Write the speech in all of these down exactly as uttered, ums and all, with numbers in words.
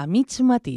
a mig matí.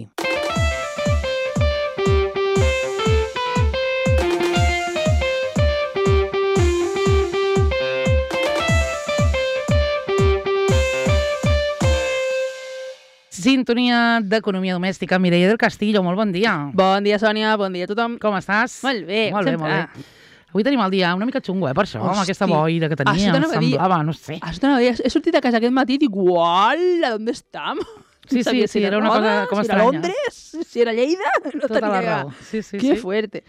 Sintonia d'Economia Domèstica. Mireia del Castillo, molt bon dia. Bon dia, Sònia, bon dia a tothom. Com estàs? Molt bé, molt bé, sempre. molt bé. Avui tenim el dia una mica xungo, eh, per això, amb aquesta boira que tenia, semblava, no sé. He sortit a casa aquest matí i dic, uala, ¿dónde estem? Sí, sí, sí, era una cosa com estranya. Si era Londres, si era Lleida, no tota la tenia... raó. Sí, sí, que sí. fuerte.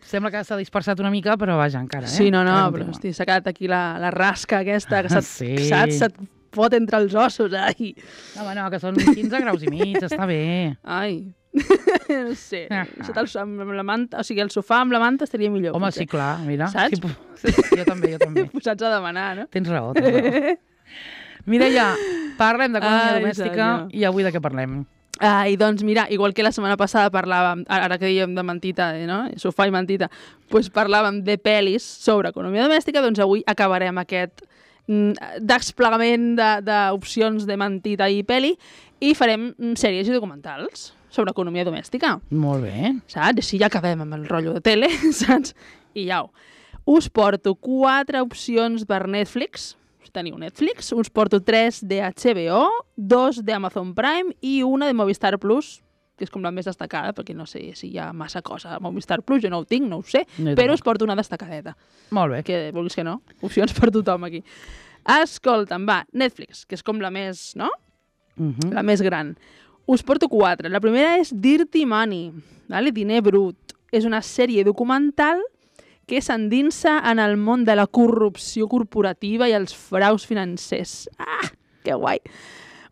Sembla que s'ha dispersat una mica, però vaja, encara, eh? Sí, no, no, però hosti, s'ha quedat aquí la, la rasca aquesta, que se't, Sí. saps, se't fot entre els ossos, ai. No, home, no, que són quinze graus i mig, està bé. Ai, no sé, sota el, amb la manta, o sigui, el sofà amb la manta estaria millor. Home, potser. sí, clar, mira. Saps? Sí, sí, jo també, jo també. Posats a demanar, no? Tens raó, tens raó. Mireia, parlem d'economia Ai, domèstica senyor. i avui de què parlem? Ai, doncs mira, igual que la setmana passada parlàvem, ara que dèiem de mentita, eh, no? Sofà i mentita, doncs parlàvem de pel·lis sobre economia domèstica, doncs avui acabarem aquest mm, desplegament de- d'opcions de, de mentita i pel·li i farem mm, sèries i documentals sobre economia domèstica, Molt bé. saps? Així ja acabem amb el rotllo de tele, saps? I ja ho. Us porto quatre opcions per Netflix. Teniu Netflix, us porto tres de H B O, dos d'Amazon Prime i una de Movistar Plus, que és com la més destacada, perquè no sé si hi ha massa cosa a Movistar Plus, jo no ho tinc, no ho sé, No hi però tampoc. us porto una destacadeta, Molt bé. que vulguis que no, opcions per tothom aquí. Escolta'm, va, Netflix, que és com la més, no? Mhm. La més gran. Us porto quatre. La primera és Dirty Money, vale? Diner brut. És una sèrie documental que s'endinsa en el món de la corrupció corporativa i els fraus financers. Ah, que guai.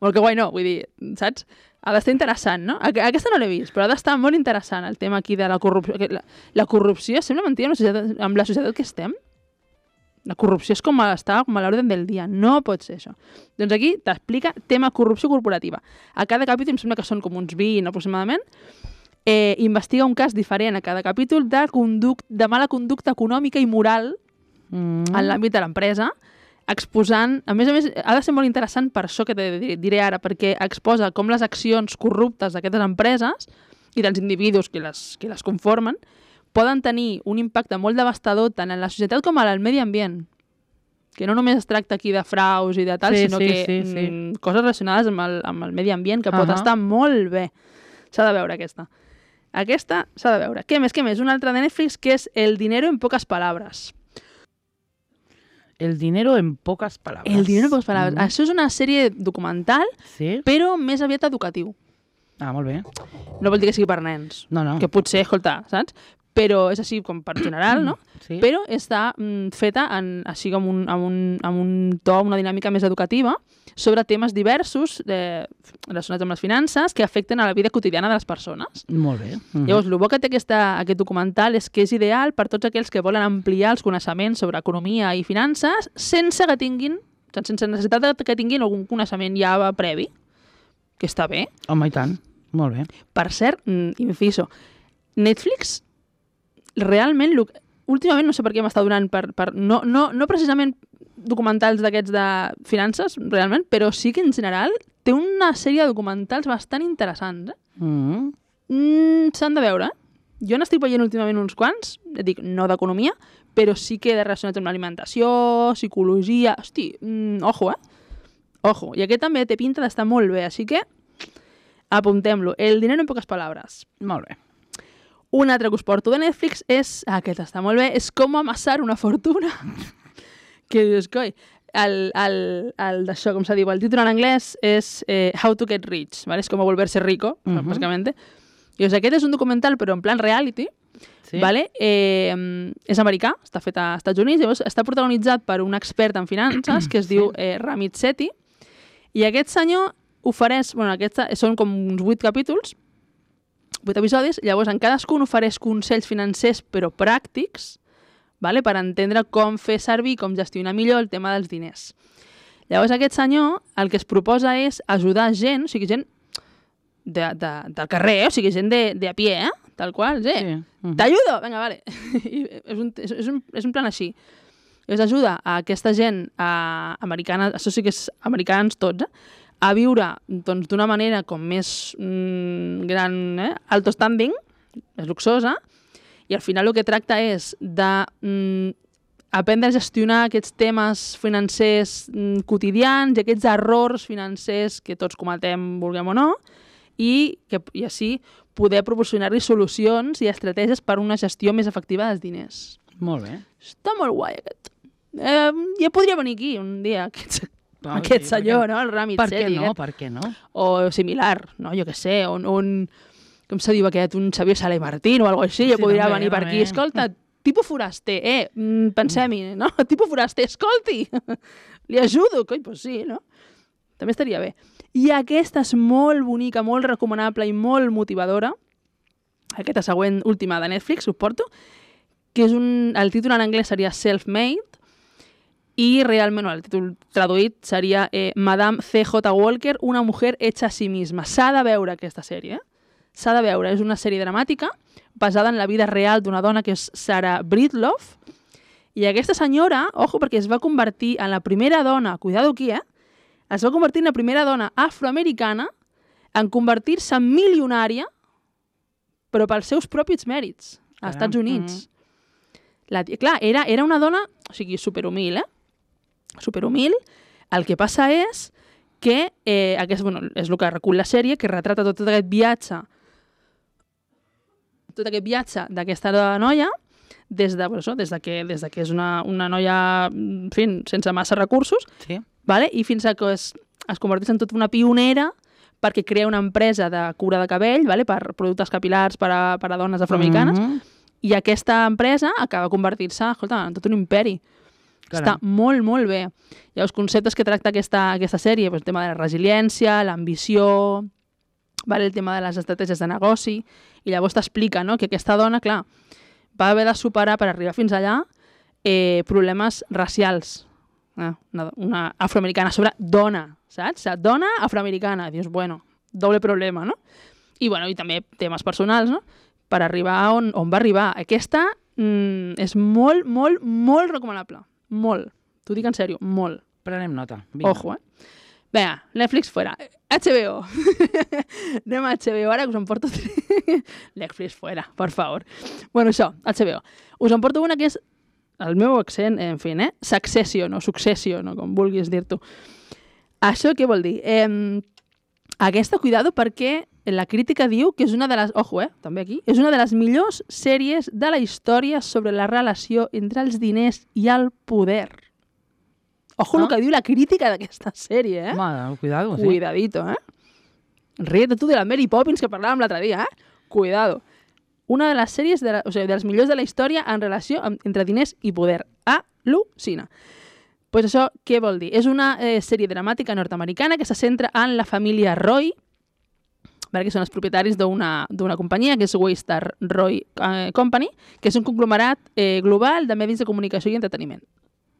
Molt que guai no, vull dir, saps? Ha d'estar interessant, no? Aqu- Aquesta no l'he vist, però ha d'estar molt interessant el tema aquí de la corrupció. que La, la corrupció sembla mentida amb la societat, amb la societat que estem. La corrupció és com a, està com a l'ordre del dia. No pot ser això. Doncs aquí t'explica tema corrupció corporativa. A cada capítol em sembla que són com uns vint aproximadament. Eh, investiga un cas diferent a cada capítol de, conduc de mala conducta econòmica i moral Mm. en l'àmbit de l'empresa, exposant... A més a més, ha de ser molt interessant per això que te diré- diré ara, perquè exposa com les accions corruptes d'aquestes empreses i dels individus que les, que les conformen poden tenir un impacte molt devastador tant en la societat com en el medi ambient. Que no només es tracta aquí de fraus i de tal, Sí, sinó sí, que sí, sí. mm, coses relacionades amb el, amb el medi ambient, que pot Ahà. estar molt bé. S'ha de veure aquesta. Aquesta s'ha de veure. Què més, què més? Una altra de Netflix que és El dinero en pocas palabras. El dinero en poques paraules. El dinero en poques palabras. Mm. Això és una sèrie documental, Sí? però més aviat educatiu. Ah, molt bé. No vol dir que sigui per nens. No, no. Que potser, escolta, saps? Però és així com per general, no? Sí? Però està mm, feta en, així com un, amb, un, amb un to, una dinàmica més educativa sobre temes diversos eh, relacionats amb les finances que afecten a la vida quotidiana de les persones. Molt bé. Mhm. Llavors, el bo que té aquesta, aquest documental és que és ideal per tots aquells que volen ampliar els coneixements sobre economia i finances sense que tinguin, sense necessitat de que tinguin algun coneixement ja previ, que està bé. Home, i tant. Molt bé. Per cert, mm, inciso, Netflix realment, lo- últimament no sé per què m'està donant per, per no, no, no precisament documentals d'aquests de finances, realment, però sí que en general té una sèrie de documentals bastant interessants. Eh? Mm. Mm, S'han de veure, eh? Jo n'estic veient últimament uns quants, et dic, no d'economia, però sí que de relacionats amb l'alimentació, psicologia... Hosti, mm, ojo, eh? Ojo. I aquest també té pinta d'estar molt bé, així que apuntem-lo. El dinero en poques palabras. Molt bé. Un altre que us porto de Netflix és, ah, aquest està molt bé, és com amassar una fortuna. Que dius, coi, el, el, el d'això, com se diu, el títol en anglès és eh, How to get rich, ¿vale? És com volverse rico, uh -huh. bàsicament. I doncs aquest és un documental, però en plan reality, Sí? ¿vale? Eh, és americà, està fet a Estats Units, llavors està protagonitzat per un expert en finances que es Sí. diu eh, Ramit Sethi, i aquest senyor ofereix, bueno, aquests són com uns vuit capítols, vuit episodis, llavors en cadascun ofereix consells financers però pràctics, vale? Per entendre com fer servir, com gestionar millor el tema dels diners. Llavors aquest senyor el que es proposa és ajudar gent, o sigui, gent de, de, del carrer, o sigui, gent de, de a pie, eh? Tal qual, sí. Sí. Mhm. T'ajudo! Vinga, vale. I és, un, és, és, un, és un plan així. Llavors ajuda a aquesta gent a, americana, això sí que és americans tots, eh? a viure doncs, d'una manera com més mm, gran, eh? alto standing, és luxosa, i al final el que tracta és de mm, aprendre a gestionar aquests temes financers mm, quotidians i aquests errors financers que tots cometem, vulguem o no, i, que, i així poder proporcionar-li solucions i estratègies per a una gestió més efectiva dels diners. Molt bé. Està molt guai, aquest. Eh, ja podria venir aquí un dia, aquest, oh, aquest sí, senyor, no? El Rami Per què Seri, no? aquest. Per què no? O similar, no? Jo què sé, un, un com se diu aquest, un Xavier Sala i Martín o alguna cosa així, ja sí, podria també, venir per també. Aquí. Escolta, tipus foraster, eh? Pensem-hi, no? Tipus foraster, escolti! Li ajudo, coi, doncs sí, no? També estaria bé. I aquesta és molt bonica, molt recomanable i molt motivadora. Aquesta següent, última de Netflix, us porto, que és un... el títol en anglès seria Self-Made i realment el títol traduït seria eh, Madame C J Walker, una mujer hecha a sí misma. S'ha de veure aquesta sèrie, eh? S'ha de veure. És una sèrie dramàtica basada en la vida real d'una dona que és Sarah Breedlove. I aquesta senyora, ojo, perquè es va convertir en la primera dona, cuidado aquí, eh? Es va convertir en la primera dona afroamericana en convertir-se en milionària, però pels seus propis mèrits, als Caram. Estats Units. Mm. La tia, clar, era, era una dona, o sigui, superhumil, eh? Superhumil. El que passa és que, eh, aquest, bueno, és el que recull la sèrie, que retrata tot, tot aquest viatge, tot aquest viatge d'aquesta noia, des de, bueno, des de que, des de que és una, una noia, en fi, sense massa recursos, sí. Vale? I fins a que es, es converteix en tota una pionera perquè crea una empresa de cura de cabell, vale? Per productes capil·lars per a, per a dones afroamericanes, mm-hmm. i aquesta empresa acaba convertir-se, escolta, en tot un imperi. Caram. Està molt, molt bé. Hi ha els conceptes que tracta aquesta, aquesta sèrie, pues, el tema de la resiliència, l'ambició, vale? El tema de les estratègies de negoci, i llavors t'explica, no?, que aquesta dona, clar, va haver de superar per arribar fins allà eh, problemes racials. Ah, una, una afroamericana sobre dona, saps? Dona afroamericana. Dius, bueno, doble problema, no? I, bueno, i també temes personals, no? Per arribar on, on va arribar. Aquesta mm, és molt, molt, molt recomanable. Molt. T'ho dic en sèrio, molt. Prenem nota. Vinga. Ojo, eh? Vinga, Netflix fuera. H B O. Anem a H B O ara, que us en porto... Netflix fuera, por favor. Bueno, això, H B O. Us en porto una que és el meu accent, en fi, eh? Succession o Succession, o com vulguis dir-t'ho. Això què vol dir? Eh, aquesta, cuidado, perquè la crítica diu que és una de les... Ojo, eh? També aquí. És una de les millors sèries de la història sobre la relació entre els diners i el poder. Ojo, ah? El que diu la crítica d'aquesta sèrie, eh? Home, cuidado, sí. Cuidadito, eh? Ríete tu de la Mary Poppins que parlàvem l'altre dia, eh? Cuidado. Una de les sèries, de la, o sigui, dels millors de la història en relació amb, entre diners i poder. Al·lucina. Doncs pues això, què vol dir? És una eh, sèrie dramàtica nord-americana que se centra en la família Roy, vale, que són els propietaris d'una companyia, que és Waystar Roy eh, Company, que és un conglomerat eh, global de medis de comunicació i entreteniment.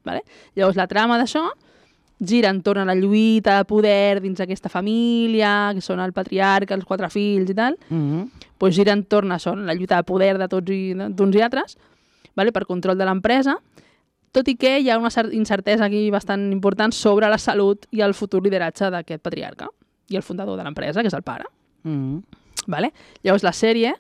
Vale? Llavors, la trama d'això gira entorn a la lluita de poder dins aquesta família, que són el patriarca, els quatre fills i tal, mm-hmm. pues gira entorn a això, la lluita de poder de tots i d'uns i altres, vale? Per control de l'empresa, tot i que hi ha una incertesa aquí bastant important sobre la salut i el futur lideratge d'aquest patriarca i el fundador de l'empresa, que és el pare. Mm-hmm. Vale? Llavors la sèrie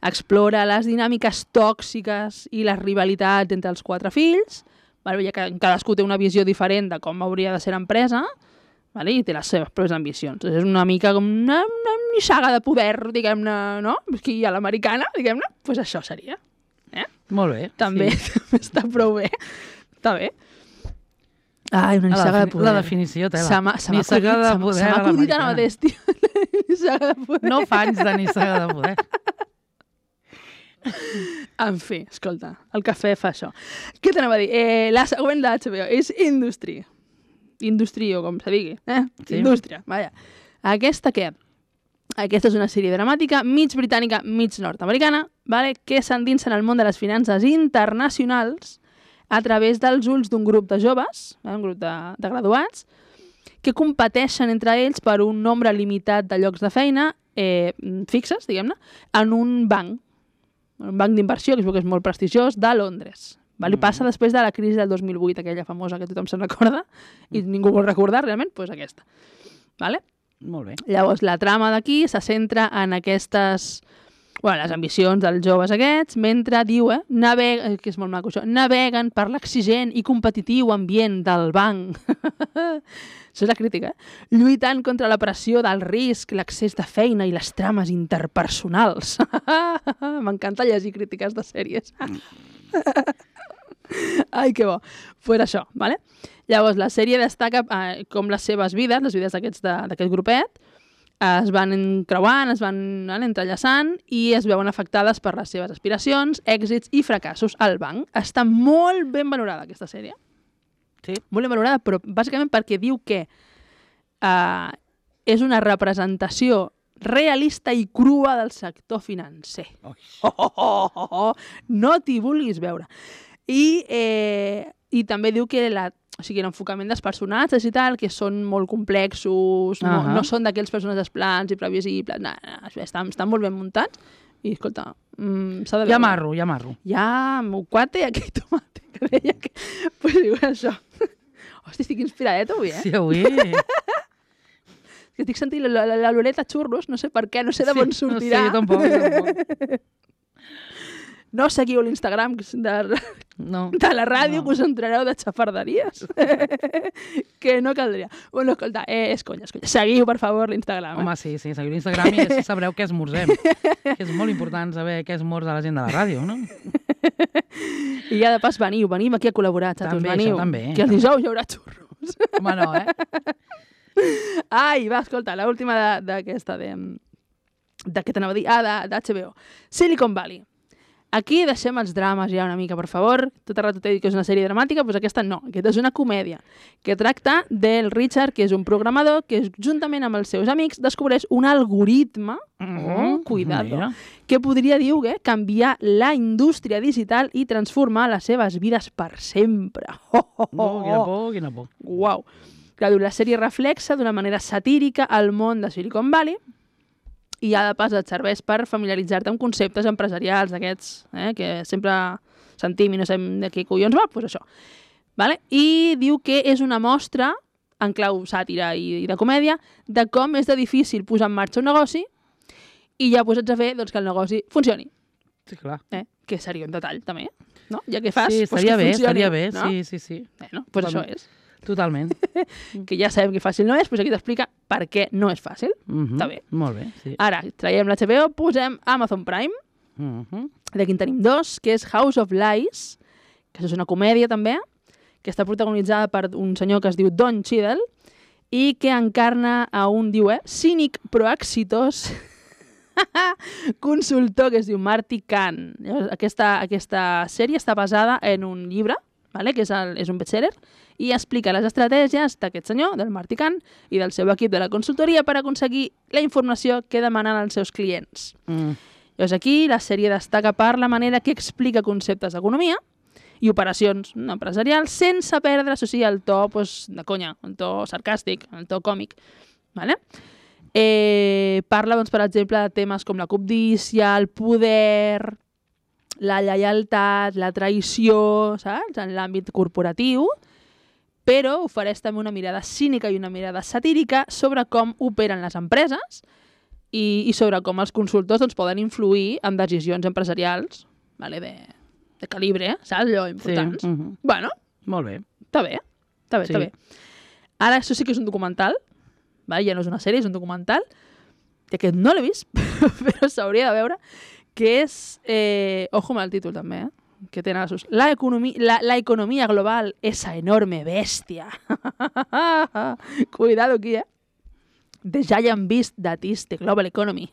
explora les dinàmiques tòxiques i les rivalitats entre els quatre fills, vale? Ja que cadascú té una visió diferent de com hauria de ser l'empresa, vale? I té les seves pròpies ambicions. És una mica com una, una nissaga de poder, diguem-ne, no? Aquí a l'americana, diguem-ne, doncs pues això seria. Eh? Molt bé. També, sí. També està prou bé. Està bé. Ai, una nissaga de poder. La definició teva. Se m'ha acudit, de poder se m'ha acudit ara mateix, tio. Nissaga de poder. No fa anys de nissaga de poder. En fi, escolta, el cafè fa això. Què t'anava a dir? Eh, la següent de H B O és Industry. Industry, o com se digui. Eh? Sí. Indústria, vaja. Aquesta què? Aquesta és una sèrie dramàtica, mig britànica, mig nord-americana, vale? Que s'endinsa en el món de les finances internacionals a través dels ulls d'un grup de joves, eh? Un grup de, de graduats, que competeixen entre ells per un nombre limitat de llocs de feina eh, fixes, diguem-ne, en un banc, un banc d'inversió, que es veu que és molt prestigiós, de Londres. Vale? Mm. Passa després de la crisi del dos mil vuit, aquella famosa que tothom se'n recorda, i ningú vol recordar realment, doncs aquesta. Vale? Molt bé. Llavors, la trama d'aquí se centra en aquestes... Bueno, les ambicions dels joves aquests, mentre, diu, eh, naveguen, que és molt maco això, naveguen per l'exigent i competitiu ambient del banc. Això és la crítica, eh? Lluitant contra la pressió del risc, l'accés de feina i les trames interpersonals. M'encanta llegir crítiques de sèries. Ai, que bo. Pues això, vale? Llavors, la sèrie destaca eh, com les seves vides, les vides d'aquest grupet, es van encreuant, es van vale, entrellaçant i es veuen afectades per les seves aspiracions, èxits i fracassos al banc. Està molt ben valorada, aquesta sèrie. Sí. Molt ben valorada, però bàsicament perquè diu que eh, és una representació realista i crua del sector financer. Oh, oh, oh, oh, oh. No t'hi vulguis veure. I, eh, i també diu que la, o sigui, l'enfocament dels personatges i tal, que són molt complexos, uh -huh. no, no són d'aquells personatges plans i previsibles, no, no, estan, estan molt ben muntats. I, escolta, mm, s'ha de veure. Ja marro, ja marro. Ja, meu cuate i aquell tomate, que deia que... Pues diu això. Hosti, estic inspiradet avui, eh? Sí, avui... Que estic sentint l'olor a xurros, no sé per què, no sé de on sortirà. Sí, no sé, tampoc, tampoc. No seguiu l'Instagram de, no, de la ràdio, no. que us entrareu de xafarderies. Que no caldria. Bueno, escolta, eh, és conya, és conya. Seguiu, per favor, l'Instagram. Home, eh? sí, sí, seguiu l'Instagram i així sabreu què esmorzem. Que és molt important saber què esmorza la gent de la ràdio, no? I ja de pas veniu, venim aquí a col·laborar, xatos, també, veniu. Això, també. Que el dijous hi haurà xurros. Home, no, eh? Ai, va, escolta, l'última d'aquesta, de, de què t'anava a dir? Ah, d'H B O. Silicon Valley. Aquí deixem els drames ja una mica, per favor. Tot el rato t'he dit que és una sèrie dramàtica, doncs aquesta no. Aquesta és una comèdia que tracta del Richard, que és un programador que juntament amb els seus amics descobreix un algoritme, Mm-hmm. oh, cuidado, Mira. que podria, diu, eh, canviar la indústria digital i transformar les seves vides per sempre. Oh, oh, oh, Oh, quina por, quina por. Uau. Clar, la sèrie reflexa d'una manera satírica el món de Silicon Valley i ja de pas et serveix per familiaritzar-te amb conceptes empresarials d'aquests, eh, que sempre sentim i no sabem de què collons va, doncs això. Vale? I diu que és una mostra, en clau sàtira i, i de comèdia, de com és de difícil posar en marxa un negoci i ja posats a fer doncs, que el negoci funcioni. Sí, clar. Eh? Que seria un detall, també. No? Ja que fas, Sí, doncs estaria que bé, funcioni. estaria bé, No? sí, sí, sí. Bueno, doncs això és. Totalment. Que ja sabem que fàcil no és, doncs aquí t'explica per què no és fàcil. Mm-hmm. Està bé. Molt bé, sí. Ara, traiem l'H B O, posem Amazon Prime, Mm-hmm. d'aquí en tenim dos, que és House of Lies, que és una comèdia també, que està protagonitzada per un senyor que es diu Don Cheadle i que encarna a un, diu, eh, cínic però exitós consultor que es diu Marty Kahn. Llavors, aquesta, aquesta sèrie està basada en un llibre, vale? Que és, el, és un bestseller, i explica les estratègies d'aquest senyor, del Marty Kahn, i del seu equip de la consultoria per aconseguir la informació que demanen els seus clients. Mm. Llavors aquí la sèrie destaca per la manera que explica conceptes d'economia i operacions empresarials sense perdre, això sí, el to pues, de conya, el to sarcàstic, el to còmic. Vale? Eh, parla, doncs, per exemple, de temes com la cobdícia, el poder, la lleialtat, la traïció, saps? En l'àmbit corporatiu, però ofereix també una mirada cínica i una mirada satírica sobre com operen les empreses i, i sobre com els consultors doncs, poden influir en decisions empresarials, vale, de, de calibre, saps? Allò important. Sí. Mm-hmm. Bueno, Molt bé. està bé, està bé, Sí. està bé. Ara, això sí que és un documental, vale? Ja no és una sèrie, és un documental, que aquest no l'he vist, però s'hauria de veure, que és... Eh, ojo amb el títol també, eh? Que tenen sus... La economía, la, la economía global, esa enorme bestia. Cuidado aquí, eh? The Giant Beast that is the Global Economy.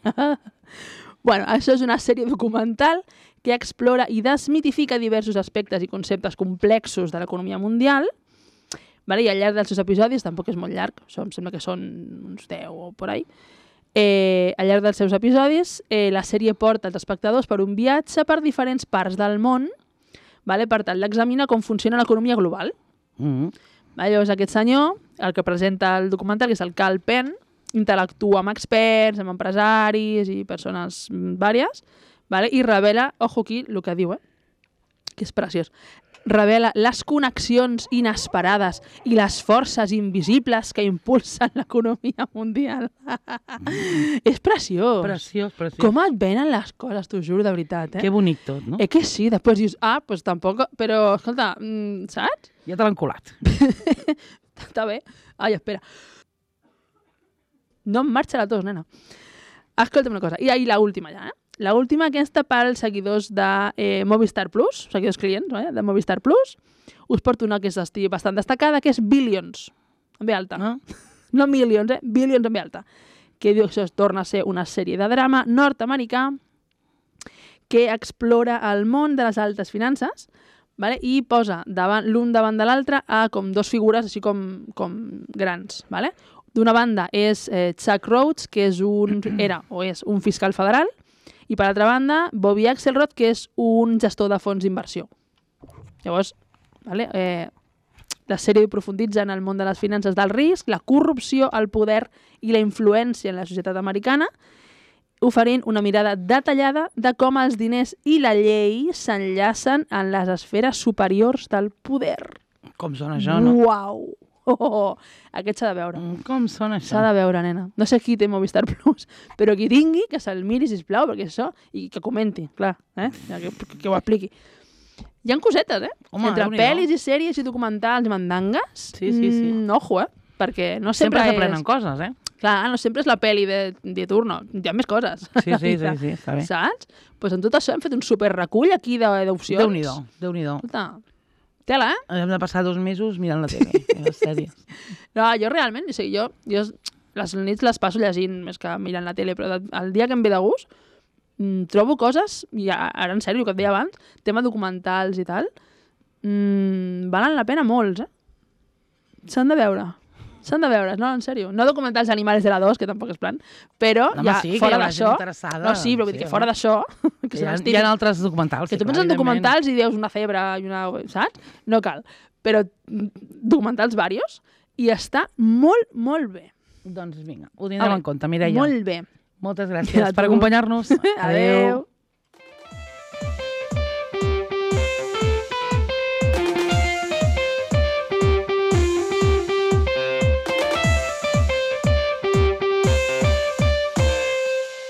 Bueno, això és una sèrie documental que explora i desmitifica diversos aspectes i conceptes complexos de l'economia mundial, vale? I al llarg dels seus episodis, tampoc és molt llarg, això em sembla que són uns deu o por ahí, eh, al llarg dels seus episodis eh, la sèrie porta els espectadors per un viatge per diferents parts del món, vale? Per tal d'examinar com funciona l'economia global. Mm-hmm. Vale? Llavors aquest senyor, el que presenta el documental, que és el Cal Penn, interactua amb experts, amb empresaris i persones vàries, vale? I revela, ojo aquí, el que diu, eh? que és preciós, revela les connexions inesperades i les forces invisibles que impulsen l'economia mundial. És preciós. Preciós, preciós. Com et venen les coses, t'ho juro, de veritat, eh? Que bonic tot, no? Eh que sí, després dius, ah, pues tampoc... Però, escolta, mm, saps? Ja te l'han colat. Està bé. Ai, espera. No em marxa la tos, nena. Escolta'm una cosa. I ahí la última ja, eh? La última aquesta pels seguidors de eh, Movistar Plus, seguidors clients eh, de Movistar Plus, us porto una que és estigui bastant destacada, que és Billions, en ve alta. Ah. No Millions, eh? Billions en ve alta. Que diu que això es torna a ser una sèrie de drama nord-americà que explora el món de les altes finances, vale? I posa davant l'un davant de l'altre a com dos figures així com, com grans. Vale? D'una banda és eh, Chuck Rhodes, que és un, era o és un fiscal federal, i per altra banda, Bobby Axelrod, que és un gestor de fons d'inversió. Llavors, vale, eh, la sèrie aprofunditza en el món de les finances del risc, la corrupció, el poder i la influència en la societat americana, oferint una mirada detallada de com els diners i la llei s'enllacen en les esferes superiors del poder. Com sona això, no? Uau! Oh, oh, oh. Aquest s'ha de veure. Com sona això? S'ha de veure, nena. No sé qui té Movistar Plus, però qui tingui, que se'l miri, sisplau, perquè això, i que comenti, clar, eh? que, que ho expliqui. Hi ha cosetes, eh? Home, entre Déu-n'hi-do. pel·lis i sèries i documentals i mandangues, Sí, sí, sí. Mm, ojo, eh? Perquè no Sempre sempre, s'aprenen és... coses, eh? Clar, no sempre és la pel·li de, de turno, hi ha més coses. Sí, sí, sí, sí, està bé. Saps? Doncs pues en tot això hem fet un superrecull aquí d'opcions. Déu-n'hi-do, Déu-n'hi-do. Escolta, tela, eh? Hem de passar dos mesos mirant la tele, i les sèries. No, jo realment, o sigui, jo, jo les nits les passo llegint més que mirant la tele, però el dia que em ve de gust mm, trobo coses, i ara en sèrio, el que et deia abans, tema documentals i tal, mm, valen la pena molts, eh? S'han de veure. S'han de veure, no, en sèrio. No documentals animals de la dos, que tampoc és plan, però Home, ja, sí, que fora hi haurà d'això... gent interessada. No, sí, però vull dir Sí, que fora home. d'això... Que, Hi són ha, els hi ha típics- altres documentals. que sí, tu penses en clar, evidentment. documentals i dius una febre i una... Saps? No cal. Però mm, documentals varios i està molt, molt bé. Doncs vinga, ho tindrem Vale. en compte, Mireia. Molt bé. Moltes gràcies A per tu. acompanyar-nos. Adeu.